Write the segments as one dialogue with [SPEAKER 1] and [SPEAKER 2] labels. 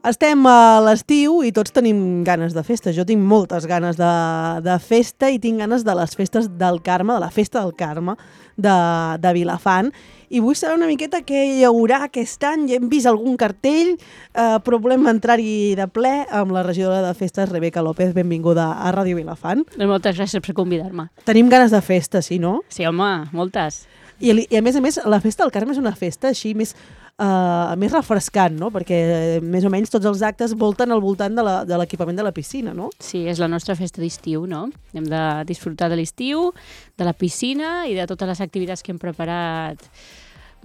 [SPEAKER 1] Estem a l'estiu i tots tenim ganes de festa. Jo tinc moltes ganes de festa i tinc ganes de les festes del Carme, de la festa del Carme de Vilafant. I vull saber una miqueta què hi haurà aquest any. Ja hem vist algun cartell, però volem entrar-hi de ple amb la regidora de festes, Rebeca López. Benvinguda a Ràdio Vilafant.
[SPEAKER 2] Moltes gràcies per convidar-me.
[SPEAKER 1] Tenim ganes de festa, sí, no?
[SPEAKER 2] Sí, home, moltes.
[SPEAKER 1] I a més, la festa del Carme és una festa així més refrescant, no? Perquè més o menys tots els actes volten al voltant de l'equipament de la piscina, no?
[SPEAKER 2] Sí, és la nostra festa d'estiu, no? Hem de disfrutar de l'estiu, de la piscina i de totes les activitats que hem preparat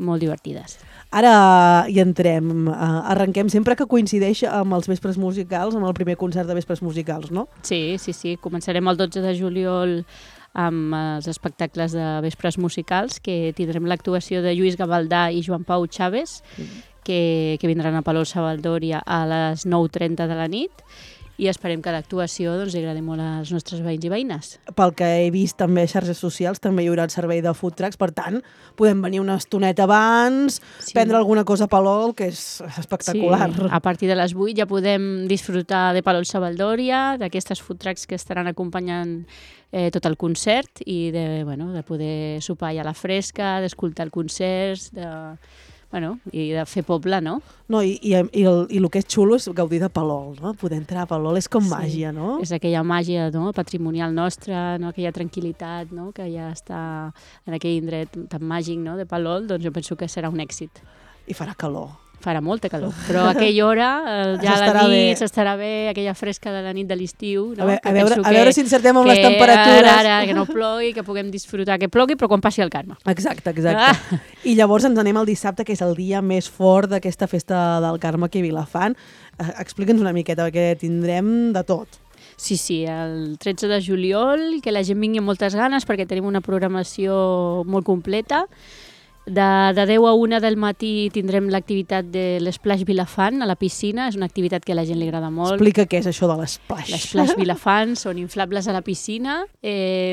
[SPEAKER 2] molt divertides.
[SPEAKER 1] Ara hi entrem, arrenquem sempre que coincideix amb els vespres musicals, amb el primer concert de vespres musicals, no?
[SPEAKER 2] Sí. Començarem el 12 de juliol amb els espectacles de vespres musicals, que tindrem l'actuació de Lluís Gavaldà i Joan Pau Chaves, que vindran a Palol Sabaldòria a les 9:30 de la nit, i esperem que l'actuació li agradi molt als nostres veïns i veïnes.
[SPEAKER 1] Pel que he vist també a xarxes socials, també hi haurà el servei de food trucks, per tant, podem venir una estoneta abans, prendre alguna cosa a Palol, que és espectacular.
[SPEAKER 2] Sí, a partir de les 8 ja podem disfrutar de Palol Sabaldòria, d'aquestes food trucks que estaran acompanyant tot el concert i de poder sopar ja a la fresca, d'escoltar el concert, i de fer poble, no?
[SPEAKER 1] No, i el que és xulo és gaudir de Palol, no? Poder entrar a Palol és com màgia, no?
[SPEAKER 2] És aquella màgia, no? Patrimonial nostra, no? Aquella tranquil·litat, no? Que ja està en aquell indret tan màgic, no? De Palol, doncs jo penso que serà un èxit.
[SPEAKER 1] I farà calor.
[SPEAKER 2] Farà molta calor, però a aquella hora, ja a la nit s'estarà bé, aquella fresca de la nit de l'estiu. No?
[SPEAKER 1] A veure si encertem amb les temperatures.
[SPEAKER 2] Ara, que no plogui, que puguem disfrutar, que plogui, però quan passi el Carme.
[SPEAKER 1] Exacte. I llavors ens anem al dissabte, que és el dia més fort d'aquesta festa del Carme aquí a Vilafant. Explica'ns una miqueta, perquè tindrem de tot.
[SPEAKER 2] Sí, el 13 de juliol, que la gent vingui amb moltes ganes, perquè tenim una programació molt completa. De 10 a 1 del matí tindrem l'activitat de l'Splash Vilafant a la piscina. És una activitat que a la gent li agrada molt.
[SPEAKER 1] Explica què és això de l'Splash.
[SPEAKER 2] L'Splash Vilafant són inflables a la piscina.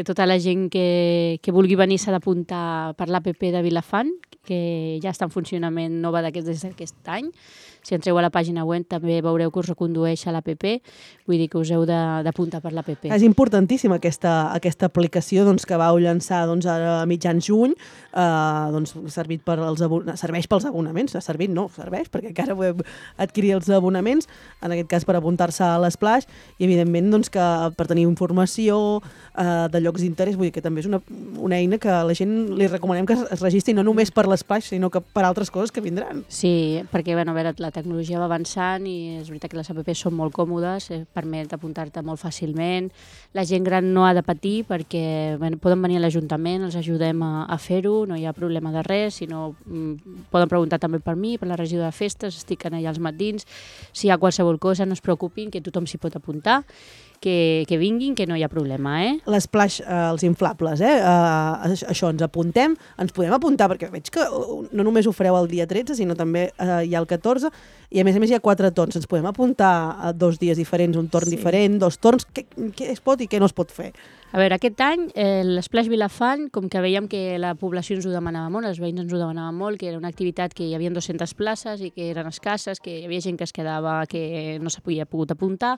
[SPEAKER 2] Tota la gent que vulgui venir s'ha d'apuntar per l'APP de Vilafant, que ja està en funcionament nova des d'aquest any. Si entreu a la pàgina web també veureu que us recondueix a l'APP, vull dir que us heu d'apuntar per l'APP.
[SPEAKER 1] És importantíssima aquesta aplicació que vau llançar ara a mitjans juny, serveix pels abonaments, serveix perquè encara podeu adquirir els abonaments, en aquest cas per apuntar-se a l'Splash, i evidentment que per tenir informació de llocs d'interès, vull dir que també és una eina que a la gent li recomanem que es registri no només per l'Splash, sinó que per altres coses que vindran.
[SPEAKER 2] Sí, perquè a veure, la tecnologia va avançant i és veritat que les apps són molt còmodes, permet apuntar-te molt fàcilment. La gent gran no ha de patir perquè poden venir a l'Ajuntament, els ajudem a fer-ho, no hi ha problema de res, sinó poden preguntar també per mi, per la regió de festes, estic allà als matins, si hi ha qualsevol cosa no es preocupin, que tothom s'hi pot apuntar, que vinguin, que no hi ha problema,
[SPEAKER 1] L'Splash, els inflables, això, ens apuntem, ens podem apuntar, perquè veig que no només ho fareu el dia 13, sinó també hi ha el 14, i a més hi ha 4 torns, ens podem apuntar a 2 dies diferents, un torn diferent, 2 torns, què es pot i què no es pot fer?
[SPEAKER 2] A veure, aquest any l'Splash Vilafant, com que veiem que la població ens ho demanava molt, els veïns ens ho demanaven molt, que era una activitat que hi havia 200 places i que eren escasses, que hi havia gent que es quedava, que no s'havia pogut apuntar,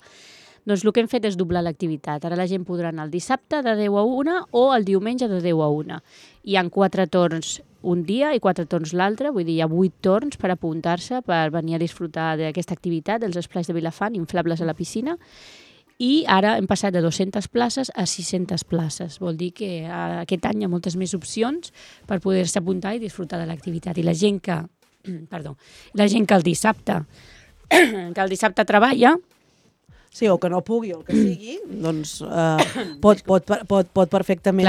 [SPEAKER 2] doncs el que hem fet és doblar l'activitat. Ara la gent podrà anar el dissabte de 10 a 1 o el diumenge de 10 a 1. Hi ha 4 torns un dia i 4 torns l'altre, vull dir, hi ha 8 torns per apuntar-se, per venir a disfrutar d'aquesta activitat, dels Splash de Vilafant, inflables a la piscina, i ara hem passat de 200 places a 600 places. Vol dir que aquest any hi ha moltes més opcions per poder-se apuntar i disfrutar de l'activitat. I la gent que el dissabte treballa,
[SPEAKER 1] sí, o que no pugui, o el que sigui, doncs pot perfectament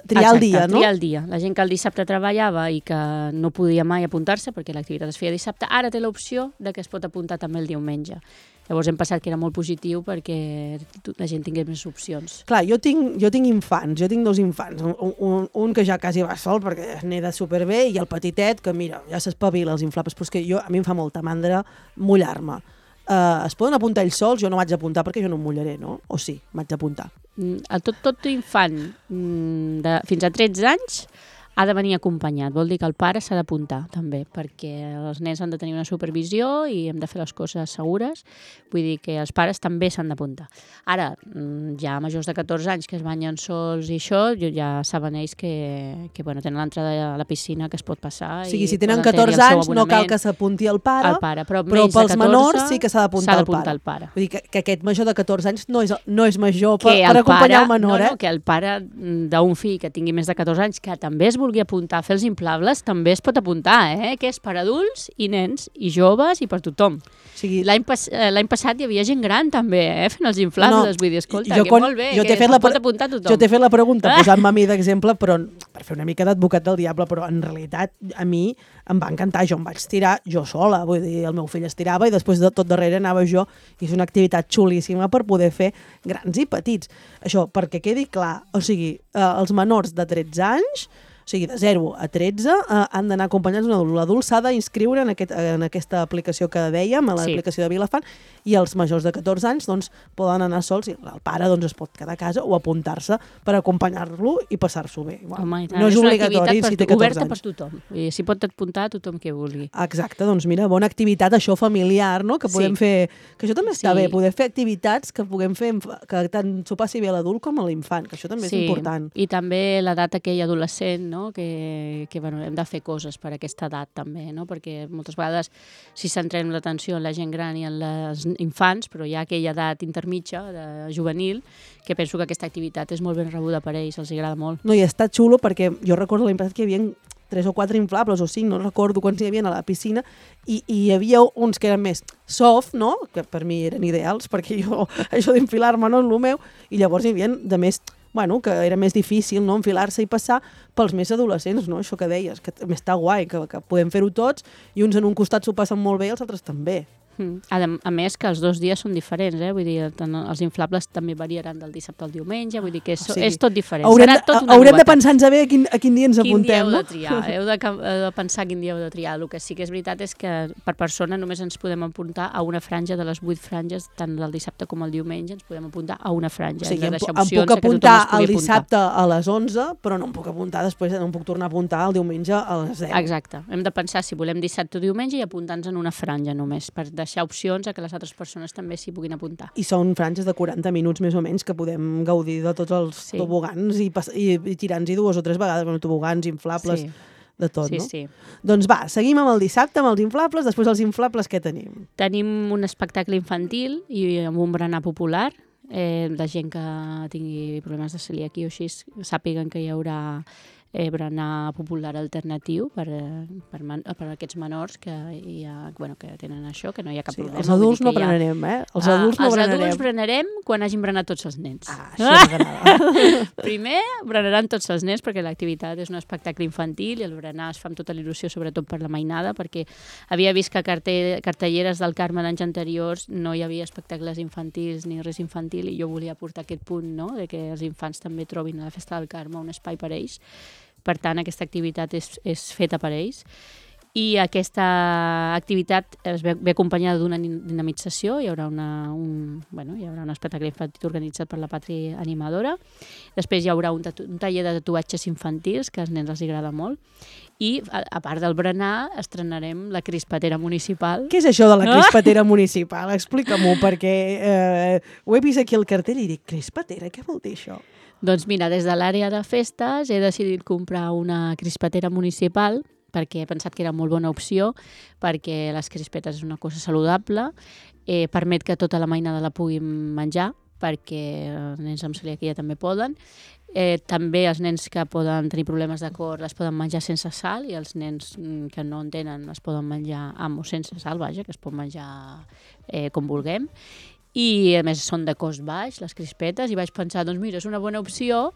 [SPEAKER 1] triar el dia, no?
[SPEAKER 2] Triar el dia. La gent que el dissabte treballava i que no podia mai apuntar-se perquè l'activitat es feia dissabte, ara té l'opció de que es pot apuntar també el diumenge. Llavors hem pensat que era molt positiu perquè la gent tingués més opcions.
[SPEAKER 1] Clar, jo tinc infants, jo tinc 2 infants, un que ja quasi va sol perquè neda superbé i el petitet que mira, ja s'espavila els inflables, però és que a mi em fa molta mandra mullar-me. Es poden apuntar ells sols? Jo no m'haig d'apuntar perquè jo no em mullaré, no? O sí, m'haig d'apuntar?
[SPEAKER 2] Tot infant fins a 13 anys ha de venir acompanyat. Vol dir que el pare s'ha d'apuntar, també, perquè els nens han de tenir una supervisió i hem de fer les coses segures. Vull dir que els pares també s'han d'apuntar. Ara, ja majors de 14 anys que es banyen sols i això, ja saben ells que tenen l'entrada a la piscina que es pot passar.
[SPEAKER 1] O sigui, si tenen 14 anys no cal que s'apunti el pare,
[SPEAKER 2] però
[SPEAKER 1] pels menors sí que s'ha d'apuntar el pare. Vull dir que aquest major de 14 anys no és major per acompanyar el menor.
[SPEAKER 2] No, que el pare d'un fill que tingui més de 14 anys, que també es vulgui apuntar a fer els inflables, també es pot apuntar, que és per adults i nens i joves i per tothom. O sigui, l'any passat hi havia gent gran també, fent els inflables. Vull dir, escolta, que molt bé, que es pot apuntar tothom.
[SPEAKER 1] Jo t'he fet la pregunta posant-me a mi d'exemple, però per fer una mica d'advocat del diable, però en realitat a mi em va encantar. Jo em vaig tirar jo sola, vull dir, el meu fill es tirava i després de tot darrere anava jo, i és una activitat xulíssima per poder fer grans i petits. Això, perquè quedi clar, o sigui, els menors de 13 anys, o sigui, de 0 a 13, han d'anar acompanyats d'un adult. L'adult s'ha d'inscriure en aquesta aplicació que dèiem, a l'aplicació de Vilafant, i els majors de 14 anys doncs, poden anar sols, i el pare doncs, es pot quedar a casa o apuntar-se per acompanyar-lo i passar-s'ho bé.
[SPEAKER 2] Home,
[SPEAKER 1] no és obligatori si té 14 anys.
[SPEAKER 2] Oberta per tothom. S'hi pot apuntar tothom que vulgui.
[SPEAKER 1] Exacte, doncs mira, bona activitat, això familiar, no? Que podem fer, que això també està bé, poder fer activitats que puguem fer, que tant s'ho passi bé a l'adult com a l'infant, que això també és important.
[SPEAKER 2] I també l'edat aquella adolescent, no? Que hem de fer coses per aquesta edat també, no? Perquè moltes vegades si centrem l'atenció en la gent gran i en les infants, però hi ha aquella edat intermitja, de juvenil, que penso que aquesta activitat és molt ben rebuda per ells, els agrada molt.
[SPEAKER 1] No, i està xulo perquè jo recordo l'any passat que hi havia 3 o 4 inflables o 5, no recordo quants hi havia a la piscina, i hi havia uns que eren més soft, no? Que per mi eren ideals, perquè jo això d'infilar-me no és el meu, i llavors hi havia de més, que era més difícil, no?, enfilar-se i passar pels més adolescents, no?, això que deies, que està guai, que podem fer-ho tots, i uns en un costat s'ho passen molt bé i els altres també.
[SPEAKER 2] A més que els 2 dies són diferents, vull dir, els inflables també variaran del dissabte al diumenge, vull dir que és tot diferent.
[SPEAKER 1] Haurem de pensar-nos bé a quin dia ens apuntem, no?
[SPEAKER 2] Heu de pensar quin dia heu de triar. El que sí que és veritat és que per persona només ens podem apuntar a una franja de les 8 franges, tant del dissabte com el diumenge, ens podem apuntar a una franja.
[SPEAKER 1] O sigui, em puc apuntar el dissabte a les 11, però no em puc apuntar després, no em puc tornar a apuntar el diumenge a les 10.
[SPEAKER 2] Exacte. Hem de pensar si volem dissabte o diumenge i apuntar-nos en una franja només, per deixar opcions a que les altres persones també s'hi puguin apuntar.
[SPEAKER 1] I són franges de 40 minuts més o menys que podem gaudir de tots els tobogans i tirar-nos-hi 2 o 3 vegades, tobogans, inflables, de tot, no?
[SPEAKER 2] Sí.
[SPEAKER 1] Doncs va, seguim amb el dissabte, amb els inflables. Després dels inflables, què tenim?
[SPEAKER 2] Tenim un espectacle infantil i amb un berenar popular. La gent que tingui problemes de celiaquia o així sàpiguen que hi haurà berenar popular alternatiu per aquests menors que tenen això, que no hi ha cap problema.
[SPEAKER 1] Els adults no berenarem, Els adults
[SPEAKER 2] berenarem quan hagin berenat tots els nens.
[SPEAKER 1] Això m'agrada.
[SPEAKER 2] Primer berenaran tots els nens perquè l'activitat és un espectacle infantil i el berenar es fa amb tota il·lusió, sobretot per la mainada, perquè havia vist que a cartelleres del Carme d'anys anteriors no hi havia espectacles infantils ni res infantil, i jo volia portar aquest punt, no?, de que els infants també trobin a la Festa del Carme un espai per a ells. Per tant, aquesta activitat és feta per ells. I aquesta activitat es ve acompanyada d'una dinamització. Hi haurà un espectacle infantil organitzat per la Pàtria Animadora. Després hi haurà un taller de tatuatges infantils, que als nens els agrada molt. I, a part del berenar, estrenarem la crispatera municipal.
[SPEAKER 1] Què és això de la crispatera municipal? Explica-m'ho, perquè ho he vist aquí al cartell i dic, crispatera, què vol dir això?
[SPEAKER 2] Doncs mira, des de l'àrea de festes he decidit comprar una crispatera municipal perquè he pensat que era molt bona opció, perquè les crispetes és una cosa saludable, permet que tota la mainada la puguin menjar, perquè els nens amb celiaquia també poden. També els nens que poden tenir problemes de cor les poden menjar sense sal, i els nens que no en tenen les poden menjar amb o sense sal, vaja, que es pot menjar com vulguem. I a més són de cost baix, les crispetes, i vaig pensar, doncs mira, és una bona opció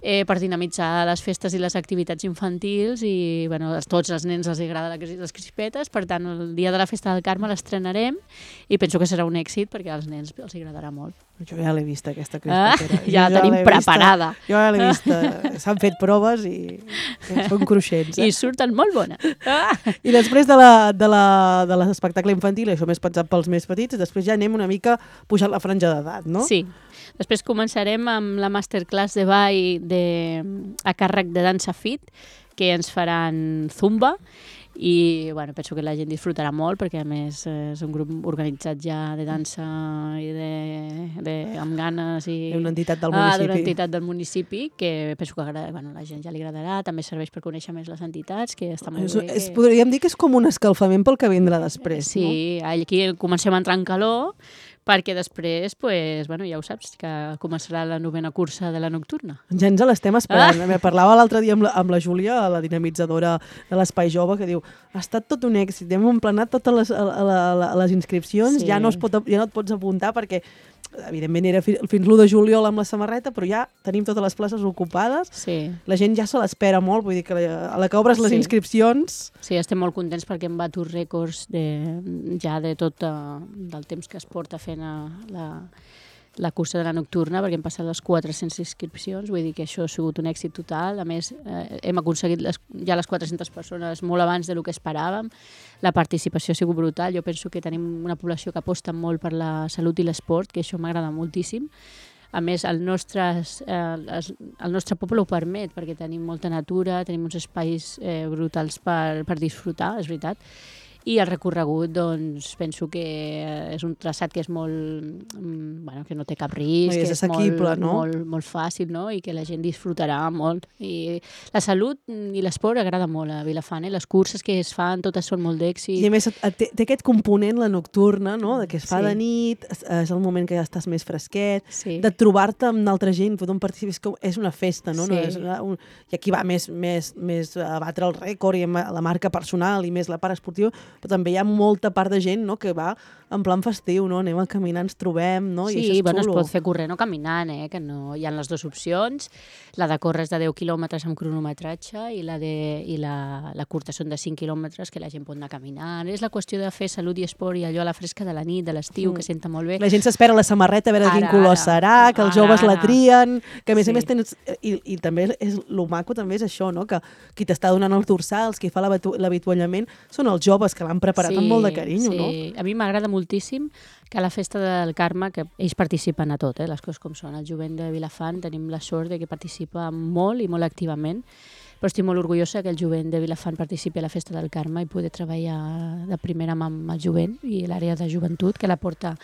[SPEAKER 2] per dinamitzar les festes i les activitats infantils, i a tots els nens els agrada les crispetes. Per tant, el dia de la Festa del Carme l'estrenarem i penso que serà un èxit perquè als nens els agradarà molt.
[SPEAKER 1] Jo ja l'he vista, aquesta crispetera.
[SPEAKER 2] Ja la tenim preparada.
[SPEAKER 1] Jo ja l'he vista. S'han fet proves i són cruixents.
[SPEAKER 2] I surten molt bones.
[SPEAKER 1] I després de l'espectacle infantil, això més pensat pels més petits, després ja anem una mica pujant la franja d'edat, no?
[SPEAKER 2] Sí. Després començarem amb la masterclass de ball a càrrec de Dansa Fit, que ens faran zumba, i bueno, penso que la gent disfrutarà molt perquè a més és un grup organitzat ja de dansa i amb ganes i
[SPEAKER 1] d'una entitat del municipi.
[SPEAKER 2] D'una entitat del municipi que penso que la gent ja li agradarà, també serveix per conèixer més les entitats, que està molt bé.
[SPEAKER 1] Podríem dir que és com un escalfament pel que vindrà després,
[SPEAKER 2] sí, no? Sí, aquí comencem a entrar en calor perquè després, ja ho saps, que començarà la 9ª cursa de la nocturna.
[SPEAKER 1] Ja ens l'estem esperant. Parlava l'altre dia amb la Júlia, la dinamitzadora de l'Espai Jove, que diu, ha estat tot un èxit, hem emplenat totes les inscripcions, ja no et pots apuntar perquè, evidentment, era fins l'1 de juliol amb la samarreta, però ja tenim totes les places ocupades.
[SPEAKER 2] Sí.
[SPEAKER 1] La gent ja se l'espera molt, vull dir que a la que obres les inscripcions...
[SPEAKER 2] Sí, estem molt contents perquè hem batut rècords ja de tot del temps que es porta fent la cursa de la nocturna, perquè hem passat les 400 inscripcions, vull dir que això ha sigut un èxit total. A més, hem aconseguit ja les 400 persones molt abans del que esperàvem. La participació ha sigut brutal. Jo penso que tenim una població que aposta molt per la salut i l'esport, que això m'agrada moltíssim. A més, el nostre poble ho permet, perquè tenim molta natura, tenim uns espais brutals per disfrutar, és veritat. I el recorregut, doncs, penso que és un traçat que és molt... que no té cap risc,
[SPEAKER 1] és assequible,
[SPEAKER 2] molt fàcil, no? I que la gent disfrutarà molt. I la salut i l'esport agrada molt a Vilafant, les curses que es fan, totes són molt d'èxit.
[SPEAKER 1] I a més, té aquest component, la nocturna, no? Que es fa de nit, és el moment que ja estàs més fresquet, de trobar-te amb altra gent, tothom participa, és una festa, no? I aquí va més a batre el rècord i la marca personal i més la part esportiva, però també hi ha molta part de gent, no?, que va en plan festiu, no? Anem a caminar, ens trobem, no? I això és xulo.
[SPEAKER 2] Es pot fer corrent o caminant, que no... Hi ha les dues opcions. La de córrer és de 10 quilòmetres amb cronometratge i la curta són de 5 quilòmetres que la gent pot anar caminant. És la qüestió de fer salut i esport i allò a la fresca de la nit, de l'estiu, que senta molt bé.
[SPEAKER 1] La gent s'espera la samarreta a veure quin color serà, que els joves la trien, que a més tens... I també és lo maco també és això, no?, que qui t'està donant els dorsals, qui fa l'avituallament, són els joves que l'han preparat amb molt de carinyo, no?
[SPEAKER 2] Sí, a mi m'agrada moltíssim que a la festa del Carme, que ells participen a tot, les coses com són. El jovent de Vilafant tenim la sort de que participa molt i molt activament, però estic molt orgullosa que el jovent de Vilafant participi a la festa del Carme i poder treballar de primera mà amb el jovent i l'àrea de joventut, que la porta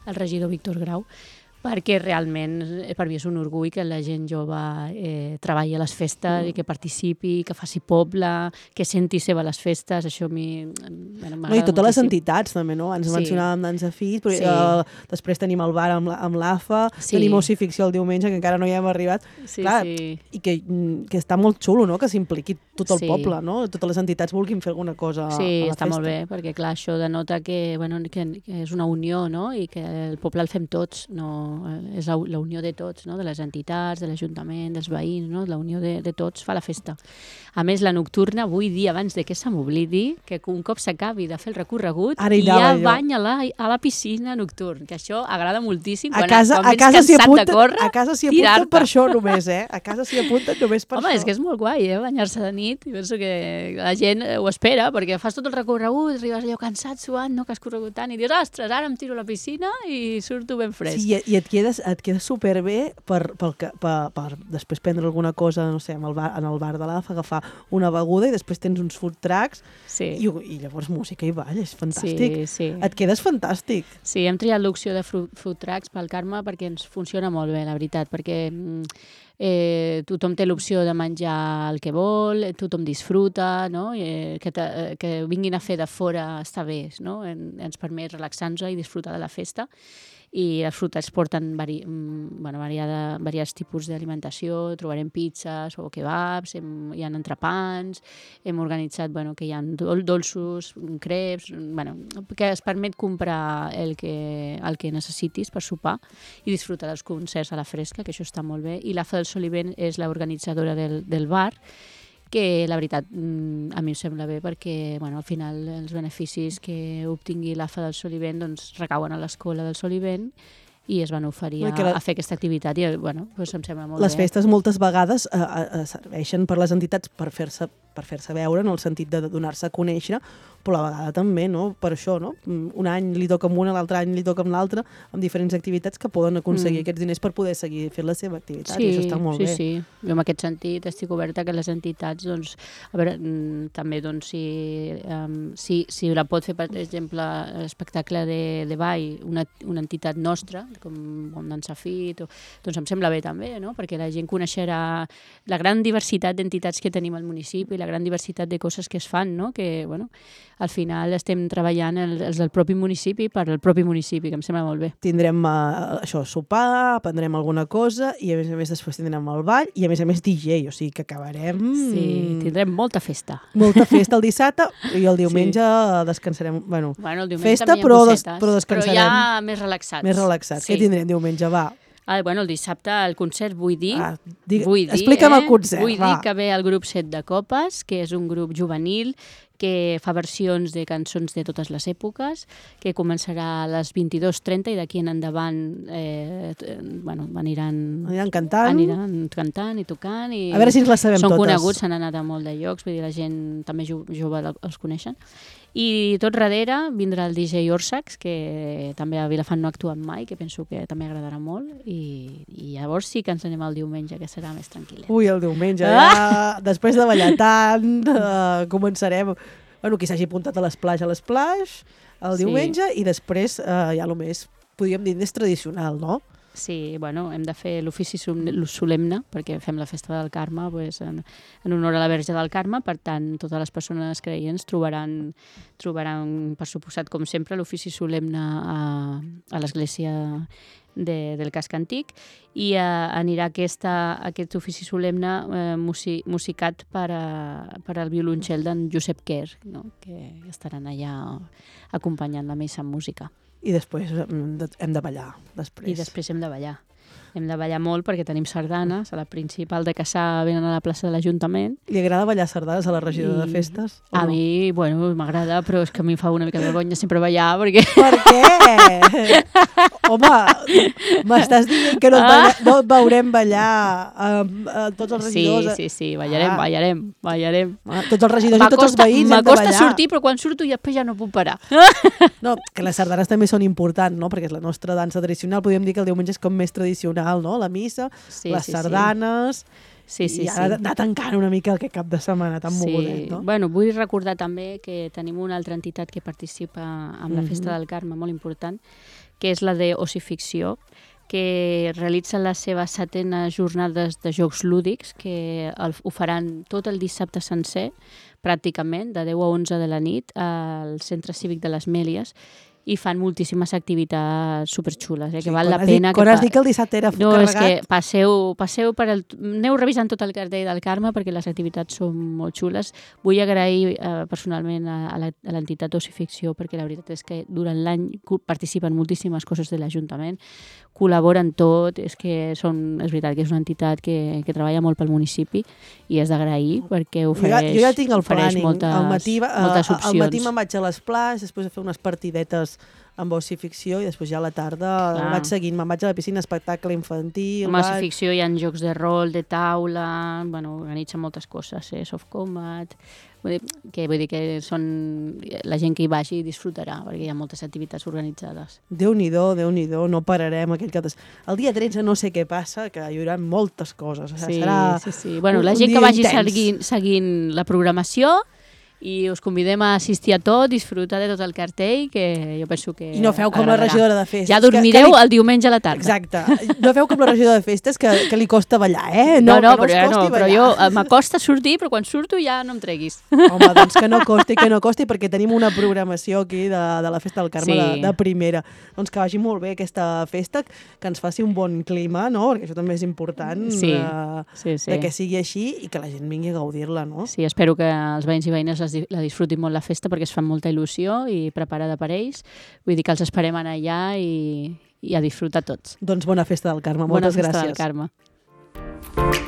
[SPEAKER 2] el regidor Víctor Grau, perquè realment per mi és un orgull que la gent jove treballi a les festes i que participi, que faci poble, que senti seva les festes, això a mi m'agrada moltíssim.
[SPEAKER 1] I totes les entitats també, no? Ens mencionàvem Dansa Fit, però després tenim el bar amb l'AFA, tenim Oci Ficció el diumenge, que encara no hi hem arribat. Clar, i que està molt xulo, no?, que s'impliqui tot el poble, no? Totes les entitats vulguin fer alguna cosa a la festa.
[SPEAKER 2] Sí, està molt bé, perquè clar, això denota que és una unió, no?, i que el poble el fem tots, no? És la unió de tots, no?, de les entitats, de l'Ajuntament, dels veïns, no?, la unió de tots fa la festa. A més, la nocturna, vull dir, abans de que se m'oblidi, que un cop s'acabi de fer el recorregut, ja bany a la piscina nocturn, que això agrada moltíssim.
[SPEAKER 1] A casa s'hi apunten per això només, A casa s'hi apunten només per això.
[SPEAKER 2] Home, és que és molt guai, banyar-se de nit, i penso que la gent ho espera, perquè fas tot el recorregut, arribes allò cansat, suant, no?, que has corregut tant, i dius, ostres, ara em tiro a la piscina i surto ben fresc.
[SPEAKER 1] Sí, i et quedes superbé per després prendre alguna cosa, no sé, en el bar de l'AFA, agafar una beguda i després tens uns food trucks i llavors música i ball, és fantàstic.
[SPEAKER 2] Sí.
[SPEAKER 1] Et quedes fantàstic.
[SPEAKER 2] Sí, hem triat l'opció de food trucks pel Carme perquè ens funciona molt bé, la veritat, perquè tothom té l'opció de menjar el que vol, tothom disfruta, no? Que vinguin a fer de fora està bé, no? Ens permet relaxar-nos i disfrutar de la festa. I els fruits porten variats tipus d'alimentació, trobarem pizzas o kebabs, hi ha entrepans, hem organitzat que hi ha dolços, creps, que es permet comprar el que necessitis per sopar i disfrutar dels concerts a la fresca, que això està molt bé. I l'AFA del Solivent és l'organitzadora del bar, que la veritat a mi em sembla bé perquè al final els beneficis que obtingui l'AFA del Solivent recauen a l'escola del Solivent i es van oferir a fer aquesta activitat i em sembla molt bé.
[SPEAKER 1] Les festes moltes vegades serveixen per les entitats per fer-se per fer-se veure, en el sentit de donar-se a conèixer, però a la vegada també, no? Per això, no? Un any li toca amb una, l'altre any li toca amb l'altre, amb diferents activitats que poden aconseguir aquests diners per poder seguir fent la seva activitat, i això està molt bé.
[SPEAKER 2] Sí. Jo en aquest sentit estic oberta que les entitats, doncs, a veure, també, doncs, si la pot fer, per exemple, l'espectacle de ball, una entitat nostra, com Dansa Fit, doncs em sembla bé també, no? Perquè la gent coneixerà la gran diversitat d'entitats que tenim al municipi, la gran diversitat de coses que es fan, no? Que, bueno, al final estem treballant els del propi municipi per al propi municipi, que em sembla molt bé.
[SPEAKER 1] Tindrem això, sopar, aprendrem alguna cosa i a més després tindrem el ball i a més DJ, o sigui que acabarem...
[SPEAKER 2] Sí, tindrem molta festa.
[SPEAKER 1] Molta festa el dissabte i el diumenge descansarem. Bueno,
[SPEAKER 2] el diumenge
[SPEAKER 1] festa
[SPEAKER 2] però
[SPEAKER 1] descansarem.
[SPEAKER 2] Però ja més relaxats.
[SPEAKER 1] Més relaxats. Sí. Què tindrem diumenge? Va.
[SPEAKER 2] El dissabte el concert, vull dir...
[SPEAKER 1] Explica'm el concert,
[SPEAKER 2] Vull dir que ve el grup Set de Copes, que és un grup juvenil que fa versions de cançons de totes les èpoques, que començarà a les 22:30 i d'aquí en endavant
[SPEAKER 1] aniran cantant
[SPEAKER 2] i tocant. I
[SPEAKER 1] a veure si ens les sabem
[SPEAKER 2] són
[SPEAKER 1] totes.
[SPEAKER 2] Són coneguts, s'han anat a molt de llocs, vull dir, la gent també jove els coneixen. I tot darrere vindrà el DJ Orsax, que també a Vilafant no ha actuat mai, que penso que també agradarà molt, i llavors sí que ens anem al diumenge, que serà més tranquil·let.
[SPEAKER 1] Ui, el diumenge, ja, després de ballar tant, començarem... Bueno, qui s'hagi apuntat a l'Splash, el diumenge, i després ja el més, podríem dir, més tradicional, no?
[SPEAKER 2] Sí, bueno, hem de fer l'ofici solemne, perquè fem la festa del Carme en honor a la Verge del Carme, per tant, totes les persones creients trobaran, per suposat, com sempre, l'ofici solemne a l'església del casc antic, i anirà aquest ofici solemne musicat per al violoncel d'en Josep Quer, no? Que estaran allà acompanyant la missa amb música.
[SPEAKER 1] I després hem de ballar.
[SPEAKER 2] I després hem de ballar. Hem de ballar molt perquè tenim sardanes. A la principal de Cassà venen a la plaça de l'Ajuntament.
[SPEAKER 1] Li agrada ballar sardanes a la regidora de festes?
[SPEAKER 2] A mi, bueno, m'agrada, però és que a mi em fa una mica de vergonya sempre ballar, perquè...
[SPEAKER 1] Per què? Home, m'estàs dient que no et veurem ballar tots els regidors?
[SPEAKER 2] Sí, ballarem.
[SPEAKER 1] Tots els regidors i tots els veïns hem de ballar.
[SPEAKER 2] M'acosta sortir, però quan surto després ja no puc parar.
[SPEAKER 1] No, que les sardanes també són importants, no? Perquè és la nostra dansa tradicional. Podríem dir que el diumenge és com més tradicional, no? La missa, les sardanes... I ara anar tancant una mica aquest cap de setmana tan mogudet, no?
[SPEAKER 2] Bueno, vull recordar també que tenim una altra entitat que participa en la Festa del Carme, molt important, que és la de Ossificció, que realitza les seves 7enes jornades de jocs lúdics, que ho faran tot el dissabte sencer, pràcticament, de 10 a 11 de la nit, al Centre Cívic de les Mèlies, i fan moltíssimes activitats superxules, que val la pena...
[SPEAKER 1] Quan has dit que el dissabte era carregat...
[SPEAKER 2] No, és que passeu per aneu revisant tot el cartell del Carme perquè les activitats són molt xules. Vull agrair personalment a l'entitat Ossificció perquè la veritat és que durant l'any participen moltíssimes coses de l'Ajuntament, col·laboren tot, és veritat que és una entitat que treballa molt pel municipi i és d'agrair perquè ofereix
[SPEAKER 1] jo ja tinc el planning.
[SPEAKER 2] Moltes opcions.
[SPEAKER 1] Al matí me'n vaig a l'Splash, després a fer unes partidetes amb Ossificció i després ja a la tarda vaig seguint, me'n vaig a la piscina, espectacle infantil...
[SPEAKER 2] Amb Ossificció hi ha jocs de rol, de taula, organitzen moltes coses, soft combat... Vull dir que la gent que hi vagi disfrutarà, perquè hi ha moltes activitats organitzades.
[SPEAKER 1] Déu-n'hi-do, no pararem aquell cap de... El dia 13 no sé què passa, que hi haurà moltes coses.
[SPEAKER 2] Sí. Bueno, la gent que vagi seguint la programació i us convidem a assistir a tot, disfrutar de tot el cartell, que jo penso que
[SPEAKER 1] I no feu com la regidora de festes.
[SPEAKER 2] Ja dormireu el diumenge a la tarda.
[SPEAKER 1] Exacte. No feu com la regidora de festes, que li costa ballar,
[SPEAKER 2] No, però jo m'acosta sortir, però quan surto ja no em treguis.
[SPEAKER 1] Home, doncs que no costi, perquè tenim una programació aquí de la Festa del Carme de primera. Doncs que vagi molt bé aquesta festa, que ens faci un bon clima, no? Perquè això també és important, de que sigui així i que la gent vingui a gaudir-la, no?
[SPEAKER 2] Sí, espero que els veïns i veïnes la disfrutin molt la festa perquè es fan molta il·lusió i preparada per ells. Vull dir que els esperem anar allà i a disfrutar tots.
[SPEAKER 1] Doncs bona festa del Carme. Moltes gràcies.
[SPEAKER 2] Bona festa del Carme.